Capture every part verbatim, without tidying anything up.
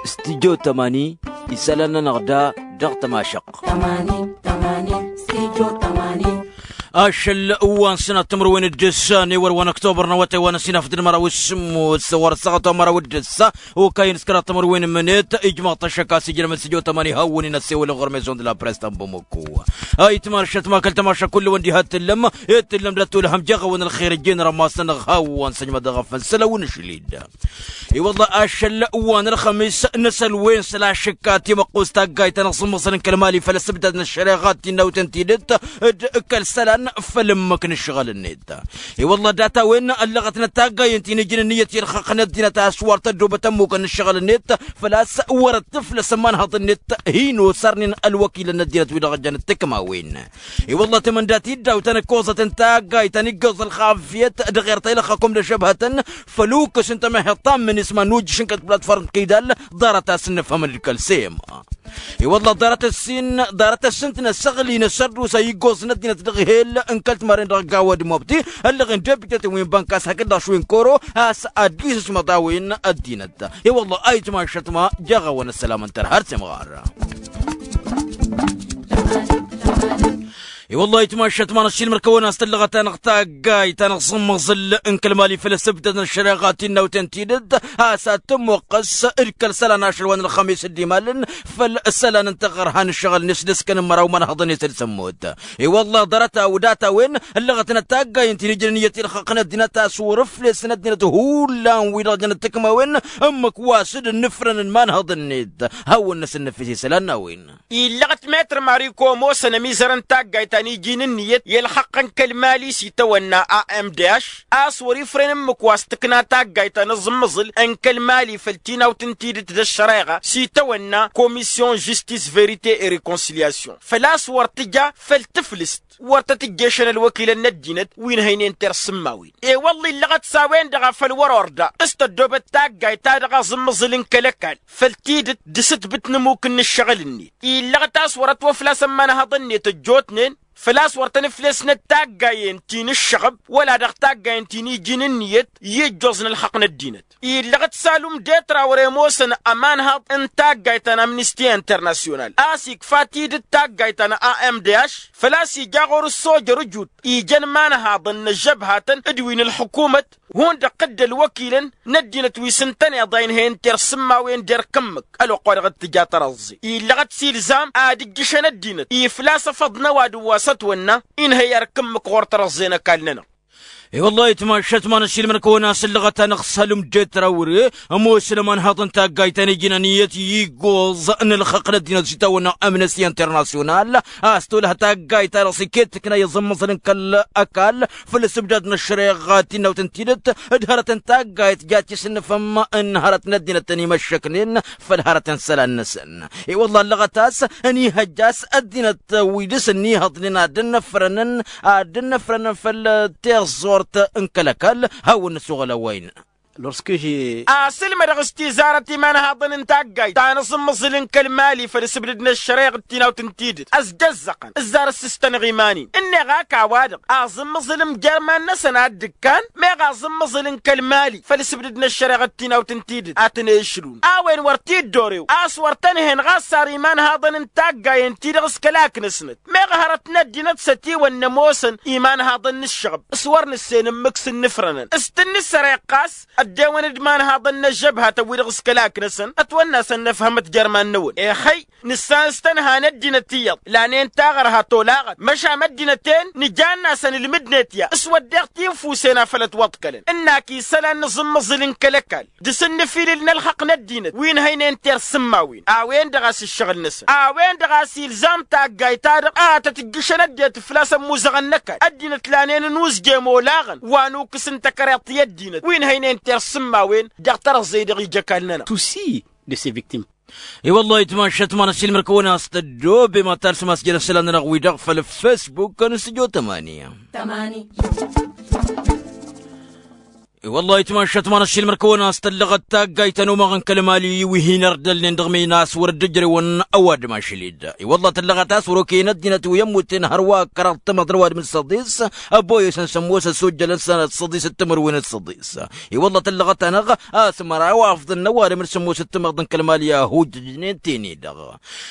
Studio tamani, isălan-nănăɣ da dăɣ-tămašăqq. Ašăl wa n-sănat timǝrwen d-ǝssan i-wăr wa n-ăktobăr n-awătay wa n-ăsinafăt d-măraw s-sǝmmos wăr-ăssaɣăt wa n-măraw d-ǝssa. Okăyăn s-kăraḍ timǝrwen n-imǝnet ijmăɣ-t ăššăk a-s ijrămăn s-ijo tămani hawăn-in ăssewăl n-ɣur-mezon d-la press ta n-bamăko. Ayǝtmašăt ma kăl-tămašăk kullu-wăn diha t-tǝllăm i-t-tǝllăm d-ăttolhăm jeɣ-awăn ălxer ǝjjeen rămas-nănăɣ hawăn-săjmăd dăɣ-afănsăl a-wen ašli-dd. I-wălla ašăl wa n-ălxămis n-asăl wen s-la šǝkka timăqqust taggayt-ta n-aẓǝmmăẓǝl n-kăl-mali făll-asǝbdad n-ăššăreɣa d-tinnawt n-tidǝt d-kăl-isălan făll-ǝmmǝk n-ǝššăɣǝl-net. I-wălla data-wen ăllăɣătnăt taggayen ti n-ijǝn ǝnniyăt i-ălxăqq n-ăddinăt a-s wăr tăddobăt ămmukăn n-ǝššăɣǝl-net făl-a-s wăr-dd-tǝflăs ămanhăḍ-net. Hin-osărnen ălwăkilăn n-ăddinăt wi-dăɣ jăn d-tikmawen. I-wălla tamăndat-i dd-awǝtăn ăkkoẓăt n-taggayt ta n-iggoẓ ălxafyăt dăɣ-erta ilăxxăkum d-ăžžăbhătăn făl-ukǝs n-tamăheḍt ta n-minisma n-ujǝš n-kăl-platform kidal. Ḍarăt-as n-nǝfhămăn d-kăl-sem. I-wălla ḍarăt ăssin ḍarăt ăssǝnt n-ăssăɣli n-asărdusa iggoẓ n-ăddinăt dăɣ-hel n-kăl-timaren dăɣ-gawa d-mobti ăllăɣen debităten wi n-bănkas hakd-dăɣ šwin koro a-s ad-dd-isǝsmăḍ a-wen ăddinăt. I-wălla ayǝtmašăt ma jeɣ-awăn ăssălam n-tărha ar s-imɣar. I-wălla ayǝtmašăt ma n-ăššilmăr kăwăn-as tǝllăɣăt-anăɣ taggayt-anăɣ s-ǝmmăẓǝl n-kăl-mali făll-asǝbdăd n-ăššăreɣa tinnawt n-tidǝt a-s ad-tǝmmuqqăs d-kăl-isălan ašăl wa n-ălxămis dd-imalăn făll-isălan n-taɣărha n-ǝššăɣǝl-net d-ǝskăn n-măraw imanhăḍăn-net d-sămmut. I-wălla ḍarăt-a-wi data-wen ăllăɣătnăt taggayen ti n-ijăn ǝnniyăt i-ălxăqq n-ăddinăt a-s wăr-ǝflesăn ăddinăt hullan-wi-dăɣ jănăt tikmawen ǝmmǝk wa s-dd-ǝnnǝfrănăn imanhăḍăn-net. Hawăn-năsăn năfes isălan n-a-wen. Illăɣăt metr mariko ămoosăn ămizăr n-taggayt ta n-iji n-ǝnniyăt i-ălxăqq n-kăl-mali s-itawănna a m d h a-s wăr-ifren ǝmmǝk wa s-tǝkna taggayt ta n-aẓǝmmăẓǝl n-kăl-mali făll-tinawt n-tidǝt d-ăššăreɣa s-itawănna komisyon žistis verite e rekonsilyasyon făl-a-s wăr tǝja făll-tǝflǝst wăr tăt-ǝjješăn ălwăkilăn n-ăddinăt wi n-hăynen tersǝmmawen. I-wălla illăɣăt s-a-wen-dăɣ a făl wăr-orda s-tăddobăt taggayt-ta-dăɣ aẓǝmmăẓǝl n-kăl-ăkall făll-tidǝt d-asǝtbǝt n-ămmuk n-ǝššăɣǝl-net. Illăɣăt a-s wăr-ătwăflasăn imanhăḍăn-net ăjjootnen făl-a-s wăr tăn-ǝflesnăt taggayen ti n-ǝššăɣăb wăla dăɣ-taggayen ti n-iji n-ǝnniyăt i-ǝjjoẓ n-ălxăqq n-ăddinăt. Illăɣăt s-alum detra wăr-e ămoosăn ămanhăḍ n-taggayt ta n-amnisti internasyonal a-s ikfa tidǝt taggayt ta n-a m d h făl-a-s ija ɣur-ǝssojăr ǝjut ijăn imanhăḍăn n-ăžžăbhatăn d-wi n-ălḥukumăt hundăɣ-t dd-ălwăkilăn n-ăddinăt wi s-ǝntăneḍ a inhăyăn tersǝmmawen d-erk ǝmmǝk ălwăqq-wa-dăɣ t-tǝja tărăẓẓe. Illăɣăt s-ilzam ad-ǝjjǝšăn ăddinăt iflas ăfăḍnăw ad-ǝwwasăt wănna inhăy erk ǝmmǝk ɣur-tărăẓẓe n-ăkall-nănăɣ. I-wăllah itmašat ma n-ašilmăn kăwăn-asǝllăɣăt-anăɣ s-alǝmdet rawre ămoosăn ămanhăḍ n-taggayt ta n-ijnăn iyyăt iggoẓ n-ălxăqq n-ăddinăt s-itawănna amnesty internasyonal a-s tolăh taggayt-ta-dăɣ s-iket tǝkna i-iẓǝmmăẓǝl n-kăl-ăkall făll-asǝbdad n-ăššăreɣa tinnawt n-tidǝt d-hărăt n-taggayt ja t-isǝnnǝfăm n-hărăt n-ăddinăt tăn-imăššăknen făll-hărăt n-isălan-năsăn. I-wăllah ăllăɣăt a-s ănihăjja a-s ăddinăt wi dăr-s ănnihăḍnen ad-dd-ănnăfrănăn ad-dd-ănnăfrănăn făll-tiẓẓurt n-kăl-ăkall. Hawăn-năsoɣăl a-wa innă. Lorsk ži asǝlmădăɣ s-tizarăt imanhaḍăn n-taggayt ta n-aẓǝmmăẓǝl n-kăl-mali făll-asǝbdǝd n-ăššăreɣ d-tinawt n-tidǝt ăzdăzzăqăn ǝzzar ǝssǝstănăɣ iman-in ǝnneɣ ak a-wa-dăɣ aẓǝmmăẓǝl n-jer-iman-năsăn a dd-ǝkkan meɣ aẓǝmmăẓǝl n-kăl-mali făll-asǝbdǝd n-ăššăreɣ d-tinawt n-tidǝt a tăn-ešlun. A-wen wăr t-dd-orew a-s wăr tăn-hen ɣas ar imanhaḍăn n-taggayen-ti-dăɣ s-kălak-năsnăt meɣ hărăt n-ăddinăt s-ătiwănna ămoosăn imanhaḍăn n-ǝššăɣăb s-wăr nǝssen ǝmmǝk s-ǝnnǝfrănăn s-tǝnnǝsăreɣ ɣas ăddewăn d-imanhaḍăn n-ăžžăbhatăn-wi-dăɣ s-kălak-năsăn ătwănna a-s ănnăfhămăt jer-iman-năwăn. Ixăy nǝssan s-tănha n-ăddinăt iyyăḍ lanen taɣărha tolaɣăt măšan ăddinăt-en nǝjanna a-s ănǝlmǝdnet ya s-wădden tinfusen a făl ătwăḍkălăn ǝnn'-ak isălan n-aẓǝmmăẓǝl n-kăl-ăkall dăr-s ǝnnǝfilǝl n-ălxăqq n-ăddinăt wi n-hăynen tersǝmmawen a-wen-dăɣ a-s ǝššăɣǝl-năsăn a-wen-dăɣ a-s ilzam taggayt-ta-dăɣ a tăt-ǝjjǝšăn ăddinăt făl-a-s ămmuzăɣăn n-ăkall ăddinăt lanen ănuzjem olaɣăn wa n-ukǝs n-takăreḍt i-ăddinăt wi n-hăynen tersǝmmawen dăɣ-tărăẓẓe-i-dăɣ ija ăkall-nănăɣ. Tusi de se victim. I-wăllah itmašat ma n-ašilmăr kăwăn-as-tăddoobem ad-talsăm a-s jăn-isălan-nănăɣ-wi-dăɣ făll-fesbuk n-stujo tămani. I-wălla itmašat manăššil mărkăwăn a-s tăllăɣăt taggayt ta n-omaɣ n-kăl-mali wi hin-ărdălnen dăɣ-mena a-s wăr dd-ǝjrewăn. Ăwadǝm ašăl-dd i-wălla tăllăɣăt a-s wăr-okăyăn ăddinăt wi ămmutnen hărwa ăkkăraḍ tămăḍ n-ăwadǝm d-săḍis. Ăboyăsăn s-ămoosăn s-ojjălăn sănăt săḍis d-timǝrwen d-săḍis. I-wălla tăllăɣăt-anăɣ a-s măraw afḍăn n-ăwadǝm d-sămoosăt timăḍ n-kăl-mali a hujjăjnen ten-i-dăɣ.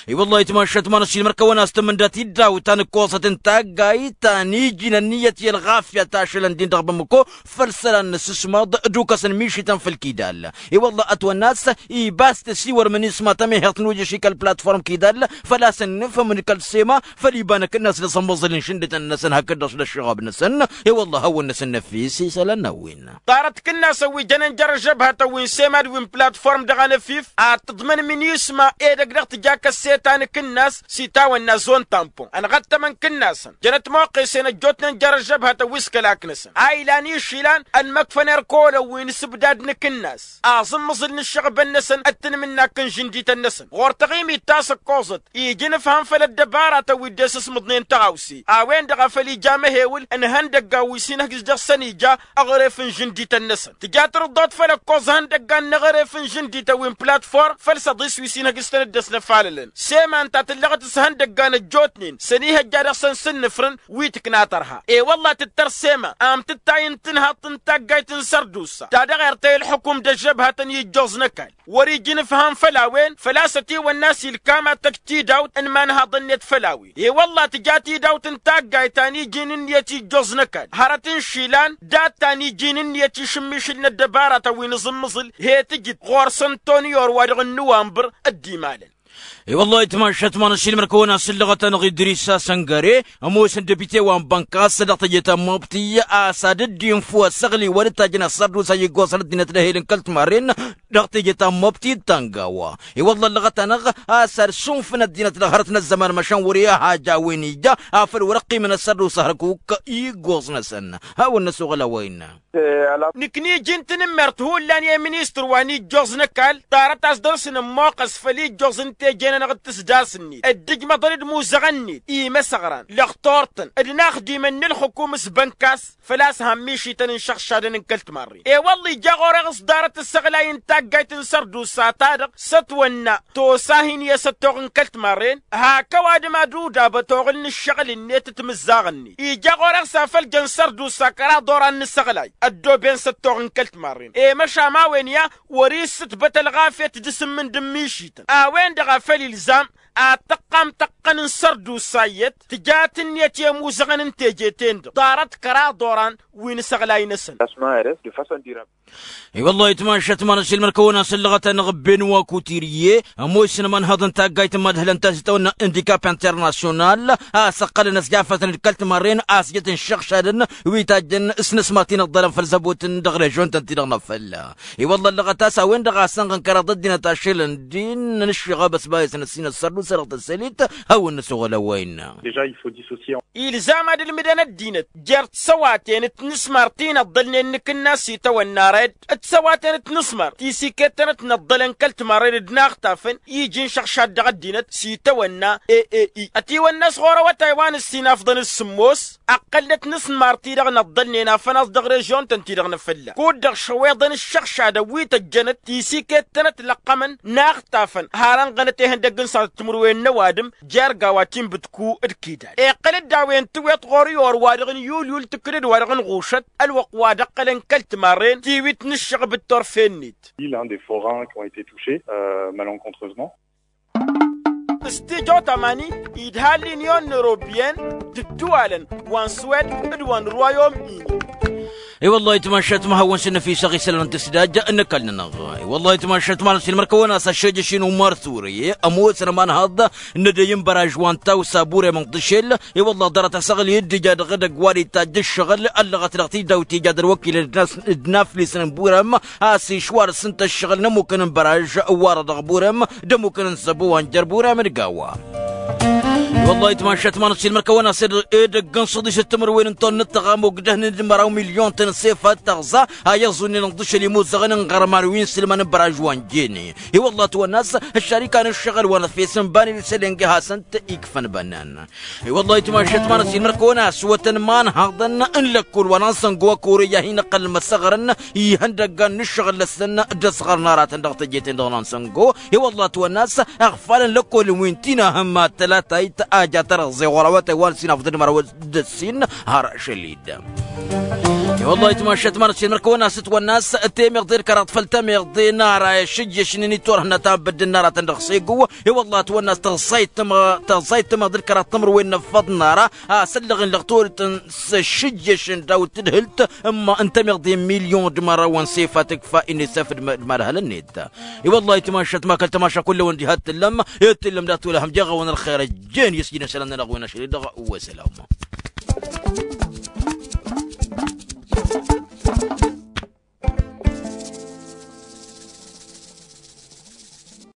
I-wălla itmašat manăššil mărkăwăn a-s tǝmmǝnda tiddawt ta n-ǝkkoẓăt n-taggayt ta n-iji n-ănniyăt i-ălɣafyăt ašălăn din dăɣ-bămmăko. Făll-isălan n-asǝsmăḍ d-ukăsăn mišităn făll-kidall. I-wălla ătwănna a-s ibas tăsiwărmăn isma tămehăḍt n-ujăš i-kăl-platform kidall. Făl-a-s ănnǝfhǝmăn kăl-sema făll-iba n-akǝnnas dăɣ-sămmăẓǝl n-išǝndǝtăn-năsăn hakd-dăɣ s-d-ăššăɣab-năsăn. I-wălla hawăn-năsăn năfis isălan n-a-wen. Ḍarăt kǝnnasăn wi jănen jer-ăžžăbhătăn wi n-sema d-wi n-platform dăɣ-anăfif ad-tǝḍmǝn minisma edăgg dăɣ-tǝja kăsseta n-akǝnnas s-itawănna zon tampon ănɣăttămăn kǝnnasăn jănăt moqqesen ăjjootnen jer-ăžžăbhătăn wi s-kălak-năsăn a ilan išilan ănmăkfăn erk olăn wi n-asǝbdad n-akǝnnas aẓǝmmǝẓǝl n-ǝššăɣbăn-năsăn d-tanmǝnnak n-žǝndităn-năsăn ɣur-taɣimit ta s-ǝkkoẓăt iji n-ǝfham făll-ăddăbaratăn wi dd-e-sǝsmǝḍnen tăɣawse a-wen-dăɣ a făl ija amăhewǝl n-ihăndăggan wi s-inhǝjj dăɣ-săn ija. Aɣref n-žǝndităn-năsăn tǝja tărǝḍḍot făll-ǝkkoẓ ihăndăggan n-aɣref n-žǝndităn wi n-platform făll-săḍis wi s-inhǝjj s-tăn-dd-ăsnăfalălăn sema ǝnta tǝllăɣăt s-ihăndăggan ăjjootnen s-ănihăjja dăɣ-săn s-ǝnnǝfrǝn wi tǝkna tărha. I-wălla tǝttăr sema amtǝttay n-tinhaḍt n-taggayt n-sărdusa ta dăɣ-ertăy ǝlxǝkum d-ăžžăbhătăn i-ǝjjoẓ n-ăkall wăr-iji n-ǝfham făll-a-wen făl-a-s ătiwănna a-s ilkam ad-tăj tidawt n-imanhaḍăn-net făll-a-wen. I-wălla tǝja tidawt n-taggayt ta n-iji n-ǝnniyăt i-ǝjjoẓ n-ăkall hărăt n-išilan dat-ta n-iji n-ǝnniyăt išǝmmišǝl n-ăddăbaratăn wi n-aẓǝmmǝẓǝl he-tǝjǝd ɣur-săn toni orwa-dăɣ n-nuwănbăr. D-imalăn. I-wălla itmašat manăššil mărkăwăn a-s ǝllăɣăt-anăɣ idris asăngăre ămoos n-depite wa n-bănkas dăɣ-teje ta n-mobti a-s ad-dd-infǝw ăssăɣli wa dd-tajjăn ăssărdusa i-ǝggoẓăn ăddinăt d-ehel n-kăl-timarren dăɣ-teje ta n-mobti d-tangawa. I-wălla ǝllăɣăt-anăɣ a-s ad-sunfǝn ăddinăt dăɣ-hărăt n-ăzzăman măšan wăr-e-aha ja a-wen ija afăl wăr-ăqqimăn ăssărdusa hărkuk i-ǝggoẓ-năsăn. Hawăn-năsoɣăl a-wa innă. Nǝkniji n-tanǝmmert hullan i-ministăr wa n-ijjoẓ n-ăkall ḍarăt a-s dăr-s nǝmmoqqăs făll-ijjoẓ n-teje-nănăɣ d-tǝsdas-net dd-ǝjmăḍăn d-imuzăɣăn-net imăsăɣran lăxtor-tăn d-inaxdimăn n-ǝlxǝkum s-bănkas. Făl-a-s han mišităn n-išăɣšadăn n-kăl-timarren i-wălla ija ɣur-e-ɣ s-ḍarăt ǝssăɣlay n-taggayt n-sărdusa-ta-dăɣ s-ătwănna tosa hin-i-asăttoɣ n-kăl-timarren hak ăwadǝm ad-udab ătoɣǝl n-ǝššăɣǝl-net d-timǝzzaɣ-net ija ɣur-e-ɣ s-afăl jăn sărdusa kăraḍ oran n-asăɣlay ăddooben s-ăttoɣ n-kăl-timarren i-măšan ma-wen i-a wăr-issǝtbăt ălɣafyăt d-asǝmmǝnd n-mišităn a-wen-dăɣ a făl ilzam ad-tăqqam tăqqăn n-sărdusa iyyăt tǝja tǝnniyăt i-imuzăɣăn n-teje-ten-dăɣ ḍarăt kăraḍ oran wi n-asăɣlay-năsăn. I-wălla-hi tmašat manăssilmăn kăwăn-asǝllăɣăt-anăɣ ben wa kutirye ămoosăn ămanhăḍ n-taggayt n-mad-hǝlăn ta s-itawănna indikap internasyonal a-s ǝqqălăn ăsjafătăn d-kăl-timarren a-s jăt n-išăɣšadăn wi tajjăn s-inǝsmăr ti n-ǝḍḍălăn făll-zăbot n-dăɣ-režion-tăn-ti-dăɣ n-afălla. I-wălla ăllăɣăt a-s a-wen-dăɣ a sănɣăn kăraḍ ăddinăt ašăl n-din n-ǝššăɣab ăsbayăsăn ăssinăt sărdusa dăɣ-tăsselit. Hawăn-năsoɣăl a-wa innă. Ilzam ad-ǝlmǝdăn ăddinăt jer-tisăwaten d-tinǝsmar ti n-ăḍḍălnen n-akǝnnas s-itawănna red d-tisăwaten d-tinǝsmar ti s-ikettănăt n-ăḍḍălăn kăl-timarren d-inaxtafăn iji n-išăɣšad dăɣ-ăddinăt s-itawănna ae. Ătiwănna a-s ɣur-awătay wa n-ǝssin afḍăn d-sǝmmos ăqqălnăt n-asǝnmar-ti-dăɣ n-ăḍḍălnen afănaẓ dăɣ-režion-tăn-ti-dăɣ n-afălla kud-dăɣ šăweḍăn ǝššăɣšadăn wi tăjjănăt ti s-ikettănăt lăqqămăn n-axtafăn har ănɣănăt ihăndăgg n-sănat timǝrwen n-ăwadǝm jer-gawa ti n-bǝtku d-kidal iqqăl-dd a-wen tǝwweḍ ɣur-i orwa-dăɣ n-yulyul tǝkkǝd d-wa-dăɣ n-ɣušăt ălwăqq wa dd-ăqqălăn kăl-timarren tiwit n-ǝššăɣb d-turfe-net. L'un des forains qui ont été touchés malencontreusement. S-tijo tamani idha l'union européenne d-ǝddǝwalăn wa n-suwed d-wa n-royaume-uni. I-wăllah itmašat ma hawăn-sǝnnăfisăɣ isălan n-tǝsdaj n-ăkall-nănăɣ. I-wăllah itmašat ma n-asǝlmăr kăwăn-as ăššejăš-in umar ture ămoosăn ămanhăḍ n-edăy n-băraj wa n-tawsa burem n-tišel. I-wăllah ḍarăt asăɣli d-ija dăɣ-edăgg wa d-itajj ǝššăɣǝl ăllăɣăt dăɣ-tidawt ija d-ălwăkilăn d-naflisăn n-burem a-s išwar s-ǝnta ǝššăɣǝl n-ămmukăn n-băraj warăḍăɣ burem d-ămmukăn n-zăbo wa n-jer-burem d-gawa. I-wăllah itmašat manăt silmăr kăwăn-as edăgg n-săḍisăt timǝrwen n-tonnăt tăɣamogdăhnen d-măraw milyon-tăn s-efat tăɣza a iẓunnen ǝnḍǝšăl imuzăɣăn n-iɣărman wi n-sǝlmăn n-băraž wa n-jene. I-wăllah ătwănna a-s ăššarikan ǝššăɣǝl wa n-efes n-bani d-isălen g-e-hasăn-t ikfăn bănnan. I-wăllah itmašat manăt silmăr kăwăn-as wătăn imanhaḍăn n-lăkkol wa n-ansăngo ăkore i-ad-hin-ăqqălăn măsăɣrăn ihăndăggan n-ǝššăɣǝl-năsăn d-ăsɣărăn aratăn dăɣ-teje-ten-dăɣ n-ansăngo. I-wăllah ătwănna a-s ăɣfalăn lăkkolăn wi n-tinahăm ad-tălatayt a ja tărăẓẓe ɣur-awătay wa n-sinafḍăn d-măraw d-ăssin har šălid. I-wăllah itmašat manăt silmăr kăwăn-as ătwănna a-s temeḍe d-kăraḍ făll-temeḍe n-ar a išǝjješ n-initorhăn ad-tanbădden n-aratăn dăɣ-segu. I-wăllah ătwănna a-s tăẓẓayt tămăḍe d-kăraḍ timǝrwen n-ăffăḍ n-ara a săllăɣen lăɣ torătăn s-ăššǝjješ n-dawǝt tǝdhǝlt n-temeḍe n-milyon d-măraw n-sefa tǝkfa inisef d-madhăl-net. I-wăllah itmašat ma kăl-tămaša kull-ewăn diha t-tǝllăm i-t-tǝllăm dat-wăla hăm jeɣ-awăn ălxer ăjjeen i-s jin isălan-nănăɣ wi n-ašăl-i-dăɣ. Wăsălam.